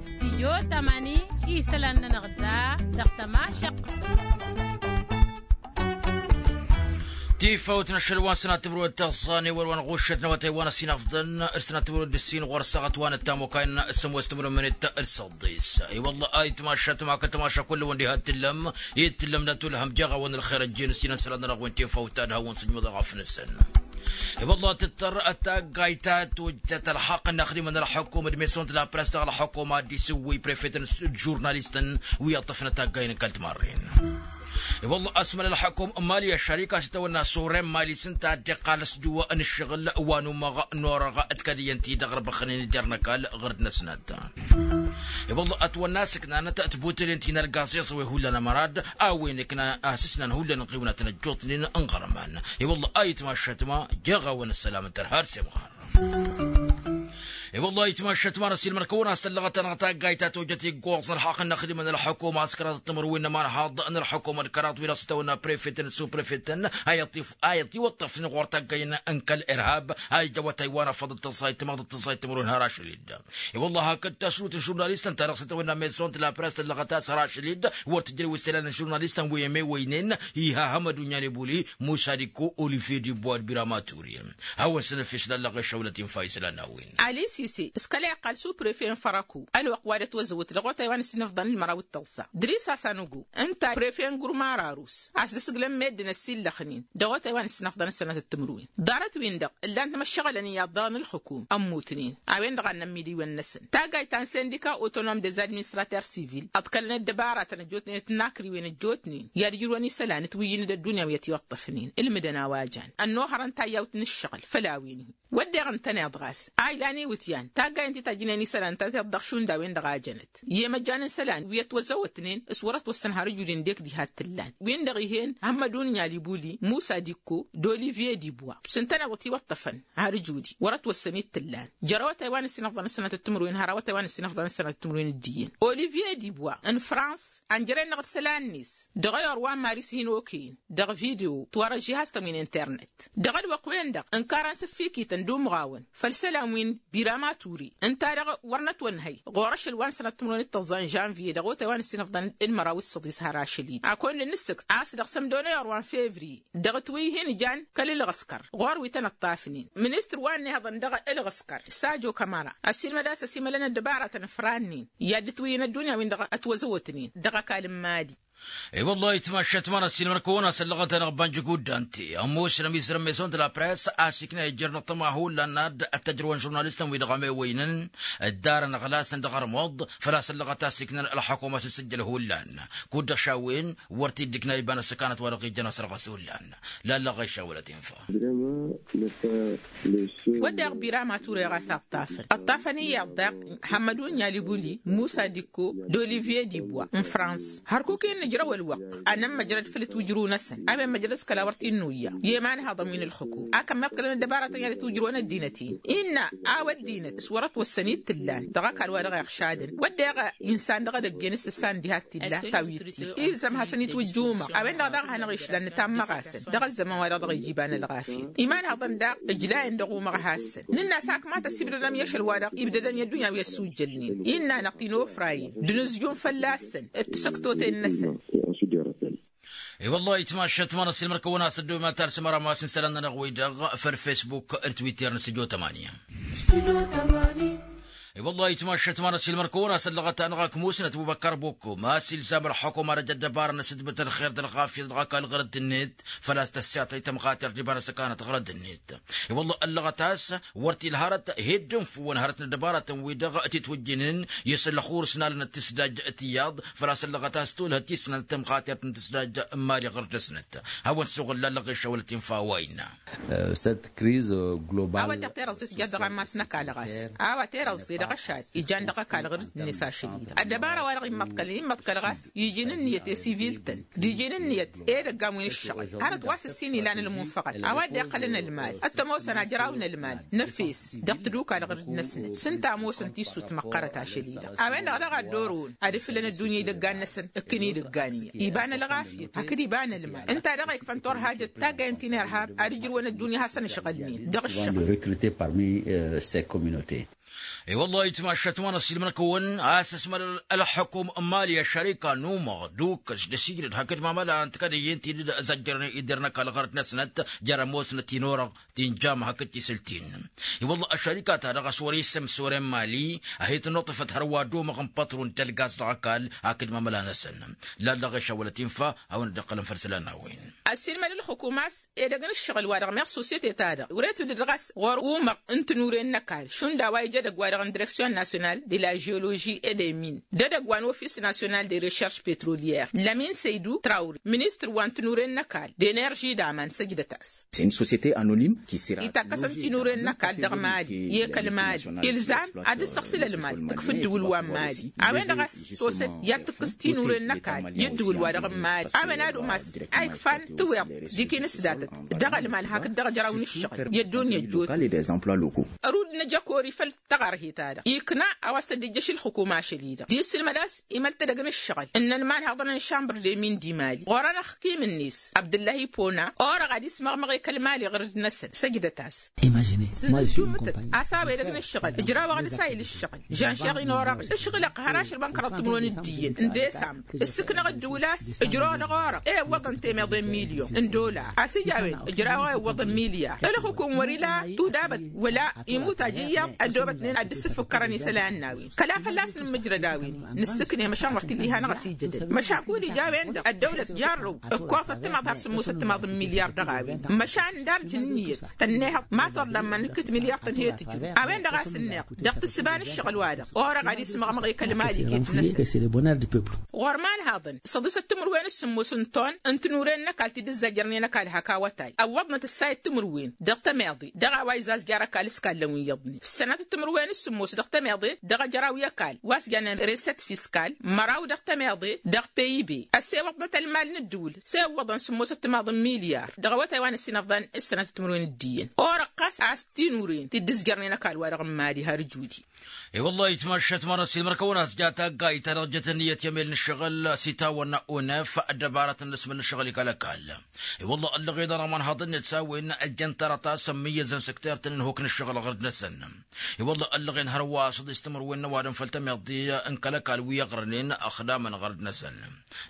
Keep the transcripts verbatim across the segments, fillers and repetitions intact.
Studio tamani isălan-nănăɣ da dăɣ-tămašăqq. Tifawt n-ašăl wa n-sănat timǝrwen d-tăẓẓa n-ewăl wa n-ɣuššăt n-awătay wa n-ăsinăfḍăn d-sănat timǝrwen d-ǝssin ɣur-săɣăt wa n-ăttamokay n-sămoos timǝrwen d-săḍis. I-wălla ayǝtmašat ma kătmaša kull-wăn diha t-tǝllăm i-t-tǝllăm n-atulhăm jeɣ-awăn ălxer ăjjeen ǝssinăn isălan-nănăɣ wi n-tifawt ta d-hawăn-sǝjmǝḍ aɣăf-năsăn. I-wălla tǝttăr taggayt ta tujjăt ălxaqq n-axdimăn ălxukum d-mesont la press dăɣ-ălxukum ad-dd-isǝwwǝy prefet n-žurnalistăn wi ǝṭṭăfnăt taggay n-kăl-timarren. I-wălla ăsmăl ălxukum n-mali ăššărik a-s itawănna s-orem mali s-ǝnta a dd-iqqal s-juwăn ǝššăɣǝl wa n-umăɣ n-orăɣ d-kăd iyyăn-ti-dăɣ ărbăxănen d-irnăkal ɣur-dd-năsnat. I-wălla ătwănna s-ǝknanăt tibutălen ti n-ălgaẓiẓ wi hullan ămărad a-wen ǝkna a-s ǝsnan hullan ănɣiwnatăn ăjjootnen n-iɣărman. I-wălla a itmašat ma jeɣ-awăn ăssălam n-tărha d-semɣar. I-wălla a itmašat ma n-ăsilmăr-kăwăn a-s tăllăɣăt-anăɣ taggayt ta tojăt iggoẓ ălxaqq n-inăxdimăn ălxukum a-s kăraḍăt timǝrwen n-ămanhaḍ n-ălxukum d-kăraḍ wi dăɣ-s tăwănna prefetăn s-uprefetăn a iwăṭṭăfnen ɣur-tăggăyăn n-kăl-irhab a ija awătay wa n-afăḍ d-tăẓẓayt timăḍ d-tăẓẓayt timǝrwen har ašăl-dd. I-wălla hakd tasrut n-žurnalistăn ta dăɣ-s tăwănna mesont la press tăllăɣăt a-s har ašăl-dd wăr tǝjrăw s-telal n-žurnalistăn wi ămewăynen iha hămădun yanebuli musa dikko olivier dibwa d-birama ture. Hawăn-săn ăfes lallăɣ išăwlăt infa isălan n-a-wen. Ali sise s-kăla iqqal s-uprefe n-fărăku ălwăqq wa d-ătwăzăwăt dăɣ-otay wa n-ăssinăfḍăn n-măraw d-tăẓẓa dris-as anăgo ǝnta prefe n-gurmar arus a-s d-asǝglăn meddǝn ăsillăxnen dăɣ-otay wa n-ăssinăfḍăn n-sănatăt timǝrwen ḍarăt-win-dăɣ ǝllan-t măššăɣǝlăn iyyăḍ daɣ n-ǝlxǝkum ămmutnen. A-wen-dăɣ a n-nămmidiwăn-năsăn taggayt ta n-sindika otonom des administraters civil ăḍkălăn ăddăbaratăn ăjjootnen d-tinakriwen ăjjootnen i-ad-ǝjrǝwăn isălan ǝtwǝyyǝn d-ăddunya wi ătiwăṭṭăfnen ǝlmǝdăn a-wa jan ănnuhărăn tayyawt n-ǝššăɣǝl făll-a-wen-hi. Wădden ǝntăneḍ ɣas a ilan iwǝtyan taggayen ti tajjǝnen isălan ta tiḍ dăɣ-šund a-wen-dăɣ a jănăt i-imăjjan n-isălan wi ătwăzăwătnen s-wăr-ătwăssăn har ǝjud-in d-ekdih ad-t-ǝllan win-dăɣ ih'-en hămmădun n-alibuli musa dikko d-olivier dibwa s-ǝntăneḍ ătiwăṭṭăfăn har ǝjud-i wăr-ătwăssăn-dd t-ǝllan jer-awătay wa n-ăssinăfḍăn ăssănatăt timǝrwen har awătay wa n-ăssinăfḍăn ăssănatăt timǝrwen d-iyyăn olivier dibwa n-frans ănjăren-dăɣ d-isălan-net dăɣ-ayor wa n-mari s-hin-okăyăn dăɣ-video tiwărăžžihastăn wi n-internet dăɣ-ălwăqq-wen-dăɣ ǝnkarăn s-ǝffikităn d-umɣawăn făll-isălan wi n-birama ture ǝnta-dăɣ wăr nătwănhăy ɣur-ašăl wa n-sănăt timǝrwen d-tăẓẓa n-žănvye dăɣ-otay wa n-ăssinăfḍăn d-măraw d-săḍis har ašăl-i-dd akund n-ǝssǝkt a-s dăɣ-sămdon i-orwan fevriye dăɣ-ǝtwǝy hin-jan kăl-ǝlɣǝskăr ɣur-wi tăn-ǝṭṭafnen ministăr wa n-ihăḍăn dăɣ-ǝlɣǝskăr sajo kămăra ăssiilmăd a-s ăsimălăn ăddăbaratăn ăfrannen i-ad-dd-ǝtwǝyyǝn ăddunya-win-dăɣ ătwăzăwătnen dăɣ-ăkall n-mali. I-wăllah itmašat ma n-ăssiilmăr-kăwăn a-s ăllăɣăt-anăɣ banjǝk uddan-ti ămoosnăm izrǝm mesont la press a-s ikna ijjăr n-ăṭṭăma hullan n-ad-ăttăjrăwăn žurnalistăn-wi-dăɣ ămewăynăn dd-arăn ăɣlasăn dăɣ-ărmuḍ făl-a-s ăllăɣăt a-s iknăn ălxukuma s-isǝjjăl hullan kud-dăɣ šawen wăr t-dd-ikna iba n-ăssăkanăt wa dăɣ-ijjăn asărɣas hullan. Lallăɣ išawălăt infa. Wădden birama ture ɣas a ǝṭṭafăn ǝṭṭafăn iyyăḍ daɣ hămmădun n-alibuli musa dikko d-olivier dibwa n-frans hărkuk-in nǝjrăw ălwăqq a nămmăjrăd făll-ǝtwǝjru-năsăn a-wen măjrăd s-kăla wăr t-innuyya i-imanhaḍăn wi n-ǝlxǝkum a kămmeḍ kălăn ăddăbaratăn i-ad-ǝtwǝjrǝwăn ăddinăt-in innă a-wa ăddinăt s-wăr-ătwăssăn-dd t-ǝllan dăɣ-ăkall wa dăɣ-iɣšadăn wădden insan dăɣ-edăgg-en s-tǝssa n-diha t-illa ta wi-t-illa ilzăm hasăn-itwǝjj umăɣ a-wen-dăɣ daɣ a hanăɣ-išlan nǝtammăɣ-asăn dăɣ-ăzzăman wa dăɣ-dăɣ ija iba n-ălɣafyăt imanhăḍăn daɣ ǝjlayăn dăɣ-umăɣ a hassăn nǝnn'-as hakmatăs ibdădăm i-ašăl wa dăɣ-ibdădăm i-ăddunya wi ăsujjălnen innă-năɣ tinofrayen d-inǝzjun fălla-săn d-tisăktoten-năsăn. I-wăllah itmašat ma n-ăssiilmăr-kăwăn a-s ăddoy ma talsăm arămas n-isălan-nănăɣ-wi-dăɣ făll-fesbuk d-twitter n-sǝjo tămanya. I-wăllah itmašat ma n-ăssiilmăr-kăwăn a-s ăllăɣăt-anăɣ ak musnăt bubăkkar bukkum a-s ilzam ălxukum ad-ăj ăddăbarăn asǝtbǝt ălxer d-ălɣafyăt dăɣ-ăkall ɣărăt-net făl-a-s tăssiyatăy tămɣater d-iba n-ăssăkanăt ɣărăt-net. I-wăllah ăllăɣăt a-s wăr t-illa hărăt heddǝn făw wăn hărăt n-ăddăbarătăn-wi-dăɣ titwǝjjǝnen i-asăllăxur s-nalănăt tisdaj tiyyăḍ făl-a-s ăllăɣăt a-s tolhăt tisnant tămɣatert n-tisdaj n-mali ɣur-dăsnăt. Hawăn-suɣǝl lallăɣ išawălăt infa a-wa innă. A-wa dd-tărăẓẓe tǝjjăt dăɣ-ammas n-ăkall ɣas a-wa tărăẓẓe. Dăɣ-ašal ijan dăɣ-ăkall ɣǝr-dd-net ašăl-i-dăɣ ăddăbara-wa-dăɣ immăḍkălăn immăḍkăl ɣas iji n-ǝnniyăt i-sivil-tăn d-iji n-ǝnniyăt edăgg a-wen ǝššăɣǝl hărăt wa s-ǝssin ilan ălmunfăɣăt a-wa dd-iqqălăn ălmal ăttămosăn ajraw n-ălmal n-efes dăɣ-tădukal ɣǝr-dd-năsnăt s-ǝnta ămoosăn tissut măqqărăt ašăl-i-dăɣ. A-wen-dăɣ daɣ a dd-orăwăn ad-ǝfǝlăn ăddunya idăggan-năsăn ǝkkǝn idăggan iyyăn iba n-ălɣafyăt hakd iba n-ălmal ǝnta daɣ a ikfăn turhajăt taggayăn ti n-irhab ad-ǝjrǝwăn ăddunya a hasăn-ǝšɣǝlnen dăɣ-ǝššăɣǝl. I-wălla-hi ǝtmaššat ma n-ăssiilmăn-kăwăn a-s ăsmălăl ălxukum n-imali ăššărika n-umăɣ d-ukǝs d-asǝjdăd hakd mamăla n-tikădăyyen ti dd-ăzăjjărăn iddǝr n-ăkall ɣărăt-năsnăt jer-ămoosnăt-in orăɣ ti n-jama hakd tisǝlt-in. I-wălla ăššărika-ta-dăɣ a-s wăr-isǝm s-wăr-e n-imali a hi-tǝnnuṭṭăfăt hărwa d-umăɣ n-pătru n-tălgaz dăɣ-ăkall hakd mamăla-năsăn lallăɣ ešawălăt infa. Hawăn-dd-iqqălăn făll-isălan n-a-wen. Ăssiilmăd ǝlxǝkum a-s edăgg n-ǝššăɣǝl-wa-dăɣ meɣ susyete-ta-dăɣ wăr-e tǝwǝdǝd ɣas ɣur-umăɣ n-tinuren n-ăkall šund a-wa ija edăgg-wa-dăɣ n-direksyon nasyonal de la jeoloži et de min d-edăgg wa n-ofis nasyonal de recherš petrolyer lămin săydu trawri ministăr wa n-tinuren n-ăkall d-enerži d-aman săjdăt-as. Itakkăsăn tinuren n-ăkall dăɣ-mali i-kăl-mali ilzam ad-dd-săɣsǝl ălmal tǝkf ǝddǝwǝl wa n-mali a-wen-dăɣ a-s soset i-ad-tǝkkǝs tinuren n-ăkall i-ǝddǝwǝl-wa-dăɣ n-mali a-wen ad-umas a ikfan tǝwweḍ d-ikinǝsdatăt dăɣ-ălmal hakd dăɣ-ejăraw n-ǝššăɣǝl i-ăddunya ăjjootnen. Ărud n-ejăkori făll-taɣărhe-ta-dăɣ ikna a-wa s-tădd-ijjăš ǝlxǝkum ašăl-i-dăɣ d-isǝlmăd a-s imăl tedăgg n-ǝššăɣǝl n-inănman haḍăn n-šambăr de min d-imali ɣur-anăɣ kim-net abdǝllahi pona orăɣ ad-ismăɣmăɣ i-kăl-mali ɣǝrǝd-năsăn săjdăt-as. Sǝnǝntumǝtăt a-s a-wa edăgg n-ǝššăɣǝl ǝjrawăɣ d-asayǝl ǝššăɣǝl žanšeɣ-in orăɣ ǝšɣǝlăɣ har ašăl wa n-kăraḍ timǝrwen d-iyyăn n-desambr ǝssǝknăɣ ǝddǝwǝl a-s ǝjrăwăɣ dăɣ-orăɣ ewwăḍăn temeḍe n-milyon n-dolar a-s ija a-wen ǝjrawăɣ ewwăḍăn milyar ǝlxǝkum wăr-ila tudabăt wăla imutaj iyyăḍ ăddoobătnen ad-dd-sǝffǝkkărăn isălan n-a-wen kăla fălla-s nǝmmǝjrăd a-wen nǝssǝkne măšan wăr t-dd-iha-năɣ ăsijădăn măšan kud ija a-wen-dăɣ ăddăwlăt jarrăw ǝkkoẓăt timaḍ har sǝmmosăt timaḍ n-milyar dăɣ-a-wen măšan darj n-ǝnniyăt tănnehăḍ ma torlan ma nǝkkǝt milyar tăn-he-tǝjru a-wen-dăɣ a-s ǝnneɣ dăɣ-tǝssǝba n-ǝššăɣǝl-wa-dăɣ orăɣ ad-ismăɣmăɣ i-kăl-mali iket-năsăn ɣur-imanhaḍăn săḍisăt timǝrwen s-sǝmmos n-ton n-tinuren n-ăkall ti dd-ǝzzajărnen ăkall hak awătay ăwwăḍnăt ǝssayăt timǝrwen dăɣ-tămeḍe dăɣ-a-wa izazjar ăkall s-kallăn wi iyyăḍnen ǝssănatăt timǝrwen s-sǝmmos dăɣ-tămeḍe dăɣ-ejăraw i-ăkall wa s-jannen reset fiskal măraw dăɣ-tămeḍe dăɣ-peybe ăssewăḍnăt ălmal n-ǝddǝwǝl s-ewwăḍăn sǝmmosăt timaḍ n-milyar dăɣ-awătay wa n-ăssinăfḍan s-sănatăt timǝrwen d-iyyăn orăɣ ɣas a-s tinuren ti dd-ǝzjărnen ăkall-wa-dăɣ n-mali har ǝjudi. I-wăllah itmaššat ma n-ăssiilmăr-kăwăn a-s ja taggayt ta dăɣ-jăt ǝnniyăt i-emel n-ǝššăɣǝl s-itawănna unef ăddăbarăt n-inǝsmǝl n-ǝššăɣǝl i-kăl-ăkall. I-wăllah ăllăɣen ănăɣ imanhaḍăn-net s-a-wen ăjjăn tărăt a-s ămmǝyyăzăn săkter-tăn n-ihuk n-ǝššăɣǝl ɣur-dd-năsăn. I-wăllah ăllăɣen hărwa s-ăḍis timǝrwen n-ăwadǝm făll-tămiḍe n-kăl-ăkall wi ăɣrănen ăxdamăn ɣur-dd-năsăn.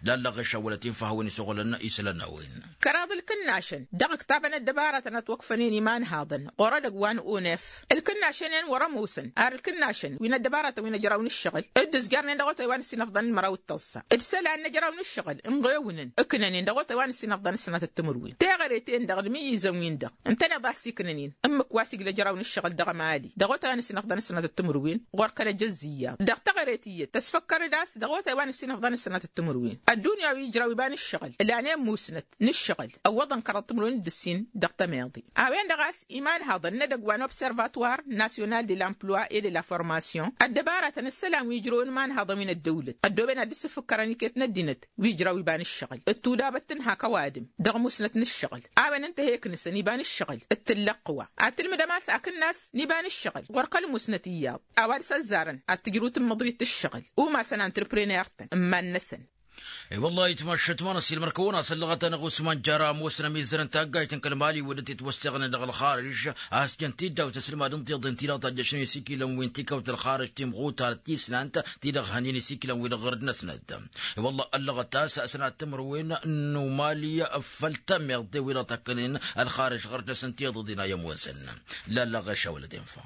Lallăɣ ešăwwălăt infa a hawăn-isăɣulăn isălan n-a-wen. Kăraḍ ǝlkǝnnašăn dăɣ-ǝktabăn ăddăbarătăn ătwăkfănen imanhaḍăn ɣur-edăgg wa n-unef ǝlkǝnnašăn-en wăr-ămoosăn ar ǝlkǝnnašăn wi n-ăddăbarătăn wi n-ejăraw n-ǝššăɣǝl dd-ǝzjarnen dăɣ-otay wa n-ăssinăfḍăn n-măraw d-tăẓẓa d-isălan n-ejăraw n-ǝššăɣǝl ǝnɣewǝnăn ǝknănen dăɣ-otay wa n-ăssinăfḍăn n-sănatăt timǝrwen teɣăre-ten-dăɣ d-imǝyyǝzăn-win-dăɣ ǝntăneḍ a ăsiknănen ǝmmǝk wa s-igl' ejăraw n-ǝššăɣǝl dăɣ-emali dăɣ-otay wa n-ăssinăfḍăn n-sănatăt timǝrwen ɣur-kăl-ejăzz iyyăḍ dăɣ-teɣăre tiyyăt tăsfăkkăr-dd a-s dăɣ-otay wa n-ăssinăfḍăn n-sănatăt timǝrwen ăddunya wi ǝjraw iba n-ǝššăɣǝl ǝlanen musnăt n-ǝššăɣǝl ăwwăḍăn kăraḍ timǝrwen d-ǝssin dăɣ-tămeḍe. A-wen-dăɣ a-s imanhaḍăn n-edăgg wa n-observatwar nasyonal de l'emploi et de la formation ăddăbarătăn ǝssălan wi ǝjrăwăn imanhaḍăn wi n-ăddăwlăt ăddooben ad-dd-sǝfǝkkărăn iket n-ăddinăt wi ǝjraw iba n-ǝššăɣǝl d-tudabăt tǝnhak ăwadǝm dăɣ-musnăt n-ǝššăɣǝl. A-wen ǝnta a he-iknǝsăn iba n-ǝššăɣǝl d-tǝllăqqǝwa ad-tǝlmǝdăm a-s akǝnnas n-iba n-ǝššăɣǝl ɣur-kăl-musnăt iyyăḍ a-wa dăr-s ăzzarăn ad-tǝjrǝw tǝmmǝḍrit ǝššăɣǝl umasăn antrepreneur-tăn n-iman-năsăn. I-wăllah itmaššat ma n-ăssiilmăr-kăwăn a-s ăllăɣăt-anăɣ usman jara ămoosăn ămizzăr n-taggayt n-kăl-mali wădden titwăsseɣnen dăɣ-ălxarǝž a-s jăn tiddawt n-isǝlmad n-tiḍen ti-dăɣ tajjăšnen isikilăn wi n-tikawt ălxarǝž timɣutar tisnant ti-dăɣ hănen isikilăn-wi-dăɣ ɣur-dd-năsnăt. I-wăllah ăllăɣăt a-s ăsnat timǝrwen n-umali făll-tămiḍe wi-dăɣ tăkkănen ălxarǝž ɣur-dd-năsăn tiḍeḍen a i-ămoosăn. Lallăɣ ešawălăt infa.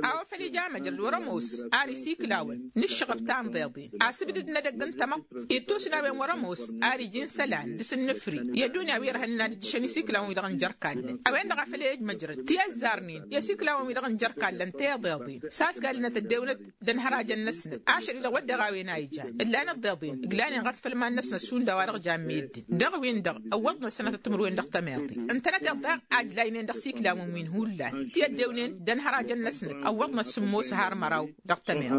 A-wa făl ija măjrăd wăr-ămoos ar isikǝlawăn n-ǝššăɣăb ta n-iḍeḍen asǝbdǝd. edăgg n-tamăḍt ittus n-a-wen wăr-ămoos. Ar iji n-isălan d-asǝnnǝfri i-ăddunya wi ărhănnen ad-ǝjjǝšăn isiklawăn-wi-dăɣ n-jer-ikallăn a-wen-dăɣ a făl i-ăjmăjrăd ti ăzzarnen i-asiklawăn-wi-dăɣ n-jer-ikallăn tiḍeḍen s-a-s galănăt ăddewnăt d-ănhărajăn-năsnăt ašăl-i-dăɣ wădden a-wen a ijan ǝllan ăḍḍeḍen ǝglanen ɣas făll-iman-năsnăt šund a-wa-dăɣ jan meddǝn dăɣ-win-dăɣ ăwwăḍnăt sănatăt timǝrwen dăɣ-tămeḍe ǝntănăteḍ daɣ a ǝjlaynen dăɣ-isiklawăn-win hullan ti ăddewnen d-ănhărajăn-năsnăt ăwwăḍnăt sǝmmos har măraw dăɣ-tămeḍe.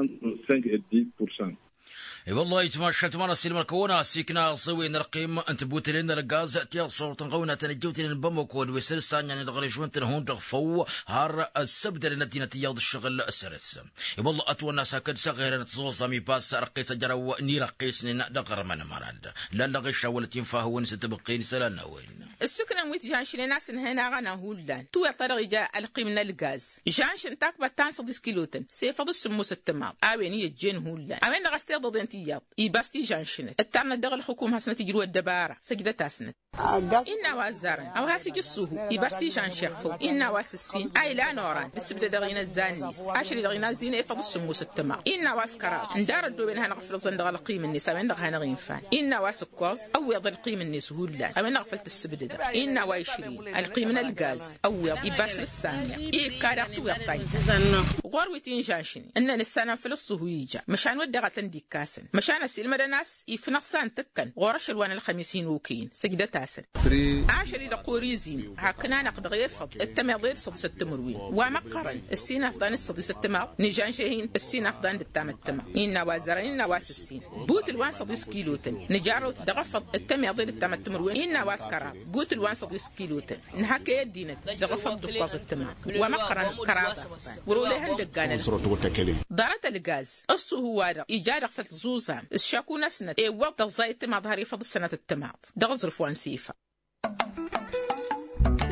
I-wăllah itmašat ma n-asilmăr kăwăn-asikna ăẓẓewen ălqim n-tibutălen n-ălgaz tiḍsurt n-ɣăwna tăn-ăjjewtănen n-bamăko d-wi s-ǝlsanyanen dăɣ-režon-tăn hundăɣ făw har ăssăbdălăn ăddinăt iyyăḍ ǝššăɣǝl săr-s. I-wăllah ătwănna s-akăd s-aɣerăn tăẓuẓam ipas răqqes ajăraw n-irăqqesnen dăɣ-armăn ămăran d-lallăɣ išawălăt infa hăwăn-s ătbăqqen isălan n-a-wen. Ǝssǝknăn wi t-žanšnen a-s ǝnhăyăn aɣăna hullan tiweḍt ta dăɣ-ija ălqim n-ălgaz žanšăn takbăt ta n-săḍis kiloten s-efăḍ s-sǝmmos ăttămaḍ a-wen i-ăjjeen hullan a-wen-dăɣ a-s tiḍăḍen tiyyăḍ ibas tižanšnet ǝttarnăt dăɣ-ălxǝkum hasnăt ijrǝw ăddăbara săjdăt-asnăt. Innă a-wa ăzzarăn a-wa has-ija ǝssuhu ibas tižanšeɣ făw innă a-wa s-ǝssin a ilan oran d-ǝssǝbdădăɣ inăzzan-net ašăl-i-dăɣ inazzin efăḍ s-sǝmmos ăttămaḍ innă a-wa s-kăraḍ ǝndar ăddooben ad-hanăɣ-ǝfrǝẓăn dăɣ-ălqim-net a-wen-dăɣ a hanăɣ-infan innă a-wa s-ǝkkoẓ ăwweḍ ălqim-net hullan a-wen-dăɣ a făl tǝssǝbdădăɣ innă a-wa išrin ălqim n-ălgaz ăwweḍ ibas d-ǝssanneɣ ikka daɣ tiweḍt ta ija ɣur-wi t-inžanšnen ǝnnăn ǝssanăn făll-ǝṣṣuhu ija măšan wădden a tăn-dd-ikkasăn măšan ăsilmădăn a-s ifnăɣ s-a ǝntǝkkăn ɣur-ašăl wa n-ălxămis hin-okăyăn săjdăt-asăn. Ašăl-i-dăɣ kor-izin hakk n-anăɣ-dăɣ efăḍ d-tămeḍe d-săḍis ăttămărwen wa măqqărăn ǝssin afḍan d-săḍis ăttămaḍ nǝžanže-hin ǝssin afḍan d-ǝttam ăttămaḍ innă a-wa ăzzărăn innă a-wa s-ǝssin butǝl wa n-săḍis kilotăn nǝjarrăw-t dăɣ-efăḍ d-tămeḍe d-ǝttam ăttămărwen innă a-wa s-kăraḍ butǝl wa n-săḍis kilotăn nǝhăkkăy ăddinăt dăɣ-efăḍ d-ǝkkoẓ ăttămaḍ wa măqqărăn kăraḍ afḍan wăr-olehăn dăgg-anăl. Ḍarăt ălgaz ăṣṣuhu-wa-dăɣ ija dăɣ-făll-tăẓuẓa s-šaku-năsnăt ewwăḍ tăẓẓay ăttămaḍ har efăḍ ǝssănăt ăttămaḍ dăɣ-aẓrǝf wa n-sifa.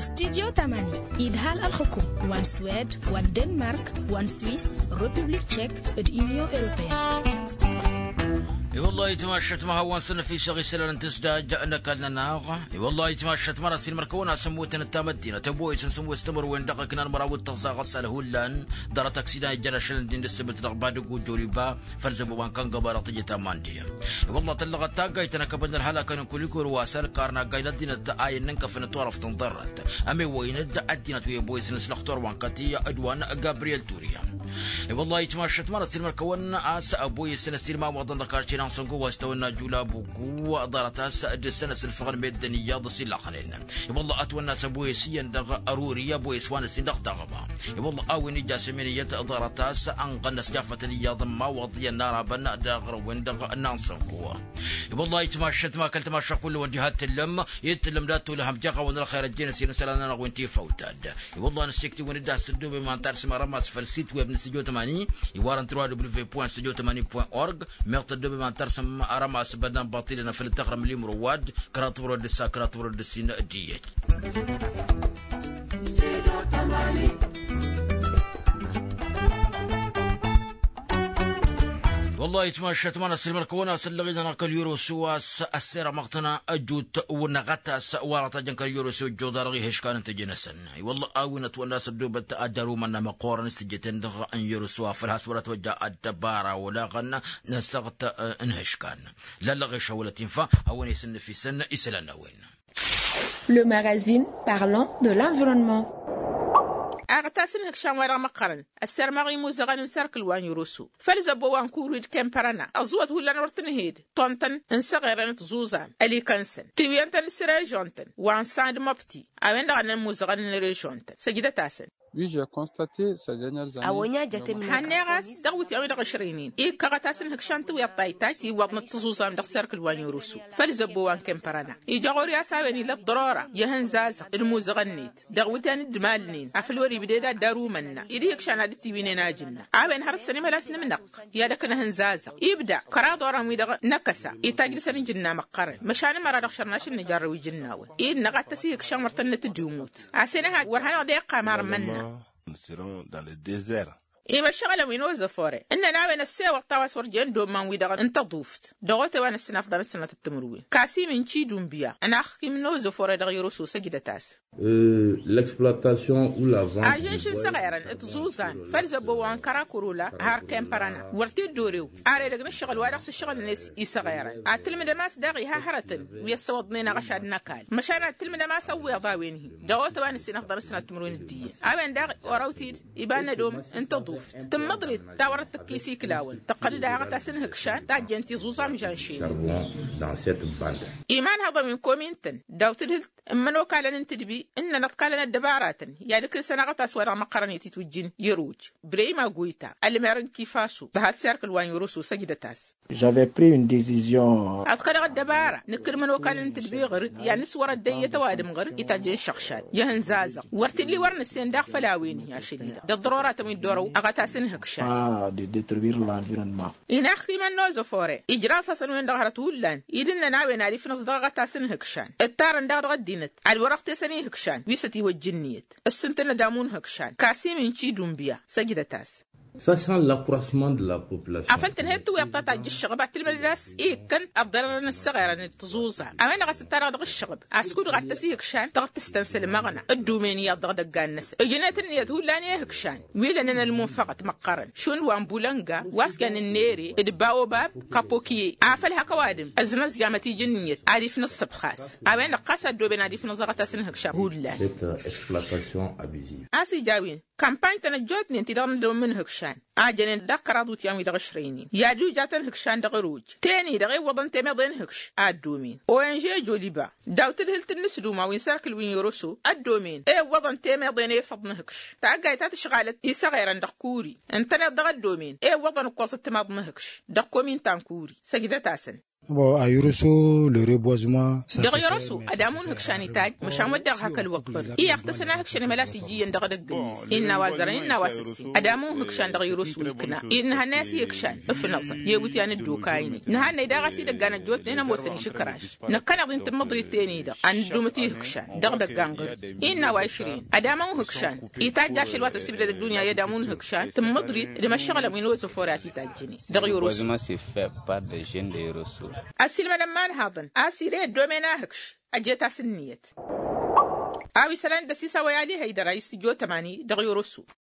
Studyo tamani idhal ălxǝkum wa n-swed wa n-denmark wa n-swis, republik tšek d-inyon europeyăn. I-wăllah itmašat ma hawăn-săn ăfisăɣ isălan n-tǝsdaj n-ăkall-nănăɣ. I-wăllah itmašat ma n-asilmăr kăwăn-asǝmmutăn d-tamăddinăt ăboyăs n-sǝmmut s-timǝrwen dăɣ-iknan măraw d-tăẓẓaɣ ăssalhullan ḍarăt aksida ijăn ašăl n-din d-ǝssǝbǝt dăɣ-badǝg ujoliba făll-zăbo wa n-kăngăba dăɣ-tǝjăt ta n-mandi. I-wălla tăllăɣăt taggayt ta n-akăbăl n-ălhălakăn n-kulikul wa s-ălkar n-aggay n-ăddinăt a iyyăn n-inkăfăn n-turăft n-ḍarrăt ămewăyăn-dd ăddinăt wi ăboyăsăn s-lăxtur wa n-kăti d-wa n-gabriyel turiya. I-wălla itmašăt mărăt s-ilmăr-kăwăn a-s ăboyăsăn s-ilmawaḍăn dăɣ-karce n-ansăngo wa s-tawănna julabuku ḍarăt a-s dăr-săn ăsǝlfăɣăn meddǝn iyyăḍ s-ilaxnen. I-wălla ătwănna s-ăboyăs iyyăn dăɣ-ăruri ăboyăs wa n-ăssin dăɣ-taɣăba. I-wălla a-wen ija s-emen iyyăt ḍarăt a-s ănɣăn ăsjafătăn iyyăḍ n-imawaḍ iyyăn n-arabăn dăɣ-răwăn-dăɣ n-ansănko. I-wălla itmašăt ma kăl-tmašăɣ kull-wăn diha t-tǝllăm i-tǝllăm dat-tolăhăm jaɣ-awăn ălxer ăjjeen ăsirăn isălan-nănăɣ wi n-tifăwtad. I-wălla năssiktiwăn-dd a-s tăddobem ma n-tarsǝm arămas făll-sit web n-studio tămani iwarăn trois w point studio tămani point org. Meɣ tăddobem ma n-tarsǝm arămas bănnan baṭilăn făll-tăɣrăm limro wa-dd kăraḍ tăwrăd d-ǝssa kăraḍ tăwrăd d-ǝssin d-iyyăt. Wăllah itmašat ma n-asǝlmăr-kăwăn a-s ăllăɣ-i-dăɣ kăl-yărosu a-s ăssirămăɣ-tăn ăjut wăr năɣăt a-s wăr-ătajăn kăl-yărosu ăjjoḍ-arăɣ ihǝškan n-tejănăsăn. I-wăllah a-wen ătwănna a-s ăddoobăt ad-dăr-umănna măqqoorăn s-tejăten-dăɣ n-yărosu afăl has-wăr-ătwăjja ăddăbara olaɣăn n-asăɣt n-ihǝškan. Lallăɣ išăwălăt infa a-wen isǝnnǝfisăn isălan n-a-wen. Le magazine parlant de l'environnement. Aɣtas n-ihǝkšan-wa-dăɣ măqqărăn ăssărmăɣ imuzăɣăn n-sărkǝl wa n-irusu făll-zăbbo wa n-kurwi d-kempărăna ăẓẓuwăt hullan wăr tǝnhed. Tontăn n-săɣerăn d-tiẓuẓam ălikăn-săn tiwǝyăn-tăn s-režon-tăn wa n-sand măbti a-wen-dăɣ a ănn imuzăɣăn n-režon-tăn săjdăt-asăn. Hănneɣ a-s dăɣ-wǝtyan wi dăɣ-ăšrăynen ikkăɣăt a-s ǝnhǝkšan tiwǝyăḍ taytajt iwwăḍnăt tǝẓuẓam dăɣ-serkǝl wa n-irusu făll-zăbbo wa n-kempărăna ija ɣur-i a-s a-wen ila ăḍḍărora i-ahǝnzazăɣ d-imuzăɣăn-net dăɣ-wǝtyan d-imalnen afăl wăr-ibded ad-dăr-umănna-i d-ihǝkšan ad-dd-tiwǝynen ajǝnna. A-wen hărăt săn imălas n-imnăqq i-ad-ăkk n-ahǝnzazăɣ ibda kăraḍ-orăn-wi-dăɣ n-akăsa itajj dăr-săn ijǝnna măqqărăn măšan ămăra dăɣ-šărnaš n-nǝjarrăw ijǝnnawăn-i d-năɣ ad-tăs ihǝkšăn wăr tăn-nǝtǝdǝmut. A-s enăhaj wăr hanăɣ-dd-iqqam armănna. Nous serons dans le désert. I-măššăɣǝlăn wi n-ozăfore ǝnnăn a-wen ăssewăḍ ta wa s-wăr jen dd-omman-wi-dăɣ n-tăḍuft. Dăɣ-otăwa n-ǝssin afḍăn ǝssănatăt timǝrwen kasimin cidunbiya ănaxkim n-ozăfore dăɣ-i-wăr-oso săjdăt-as. L-exploitation u la vente. Ažǝnš n-săɣerăn d-tiẓuẓan făll-zăbbo wa n-kărakorola har kempărăna wăr t-dd-orew. Ar edăgg n-ǝššăɣǝl wa dăɣ-s ǝššăɣǝlăn i-săɣerăn ad-tǝlmǝdăm a-s daɣ iha hărătăn wi ăssăwăḍnen aɣăšad n-ăkall măšan ad-tǝlmǝdăm a-s ăwweḍ a-wen-hi. Dăɣ-otăwa n-ǝssin afḍăn ǝssănat timǝrwen d-iyyăn a-wen daɣ orăw-t-dd iba n-ădom n-tăḍuft tǝmmǝḍrit ta wărăt tǝkkis iklawăn tăqqăl-dd a haɣăt-as n-ihǝkšan tajjen tiẓuẓa mǝžan šenăn. Imanhăḍăn wi n-komintăn daw-tǝdhǝlt n-imănokalăn n-tǝdbi ǝnnăn ăḍkalăn ăddăbaratăn i-ad-ǝklǝsăn aɣătas wa dăɣ-măqqărăn i-titwǝjjǝn i-ruj. Brăyima goyta ălmer n-kifaso tăhat s-erk ǝlwa n-irusu săjdăt-as. J'avais pris une décision. Ad-kădăɣ ăddăbara nǝkkǝd imănokalăn n-tǝdbi ɣǝr-dd i-ad-nǝswăr ăddăyyăt ăwadǝm ɣǝr-dd i-tajjăn šăɣšad i-ihǝnzazăɣ wăr t-illa i-wăr nǝssen daɣ făll-a-wen-hi ašăl-i-dăɣ d-ăḍḍărora-tăn wi dd-orăw aɣătas n-ihǝkšan. De détruire l'environnement. Inaxximăn n-ozăfore ijraẓ-asăn-wen-dăɣ hărăt hullan i-dd-ǝnnăn a-wen ad-ifnǝẓ dăɣ-aɣătas n-ihǝkšan ǝttarăn daɣ dăɣ-ăddinăt ad-wăr-ăɣtesăn ihǝkšan wi s-ătiwăjja ǝnniyăt. Ǝssǝntăn ădamu n-ihǝkšan kasimin cidunbiya săjdăt-as. Săšan l'accroissement de la population. Afăl tǝnhăyăt tǝwweḍt ta tajj ǝššăɣăb ad-tǝlmǝdăd a-s ikkăn ăḍḍărărăn ǝssăɣerăn d-tiẓuẓa a-wen-dăɣ a-s ǝttarăɣ dăɣ-ǝššăɣăb. Askud ɣattăs ihǝkšan tăɣ-tǝstăn s-ǝlmăɣna ǝddumen iyyăḍ dăɣ-idăggan-năsăn ǝjnet ǝnniyăt hullan i-ihǝkšan wi lănen ălmunfăɣăt măqqărăn šund wa n-bulănga wa s-jan ǝnnere d-baobab kapokiye afăl hak ăwadǝm ăznăẓjamăt ija ǝnniyăt ad-ifnǝẓ s-ǝbxas. A-wen-dăɣ ɣas ăddooben ad-ifnǝẓ aɣătas n-ihǝkšan hullan. Cette exploitation abusive. A-s ija a-wen kampany-tăn ăjjootnen ti-dăɣ n-ădom n-ihǝkšan a jănen daɣ kăraḍ iwǝtyan wi dăɣ-ǝšrăynen i-ad-uja tăn-ihǝkšan dăɣ-ăruj teni-dăɣ ewwăḍăn temeḍe n-ihǝkš a ăddomen. Ong joliba daw-tǝdhǝlt n-inǝsduma wi n-serkǝl wi n-iroso ăddomen ewwăḍăn temeḍe n-efăḍ n-ihǝkš. Taggayt ta tǝšɣalăt isăɣerăn dăɣ-kuri ǝntăneḍ dăɣ-ăddomen ewwăḍăn ǝkkoẓăt timaḍ n-ihǝkš. Dăɣ-komin ta n-kuri săjdăt-asăn. Dăɣ-i-oroso ădamu n-ihǝkšan itajj măšan wădden hak ălwăqq-dd i-iɣtăsăn ahǝkšăn imălas iji iyyăn dăɣ-edăgg-net innă a-wa zărăn innă a-wa s-ǝssin ădamu n-ihǝkšan dăɣ-i-oroso ikna. Innă hannăy a-s ihǝkšan ǝfnăẓăn i-iwǝtyan dd-okaynen. Nǝhannăy daɣ a-s idăggan ăjjootnen ămoosăn išǝkraš năkkăneḍ-in tǝmmǝḍrit ten-i-dăɣ ad-nǝddumǝt ihǝkšan dăɣ-idăggan ɣǝr-dd. Innă a-wa išrǝyăn ădamu n-ihǝkšan itajj ašăl wa tăsibdăd ăddunya i-ădamu n-ihǝkšan tǝmmǝḍrit d-imăššăɣlăn wi n-ozăfore a t-itajjǝnen. Dăɣ-i-oroso. Ăssiilmădăn imanhaḍăn a-s ire ăddomen ahǝkš ăjet-as ǝnniyăt. A-wa isălan d-ăsisawăy ali hăydăr a istǝjotăm ani dăɣ-i-oroso.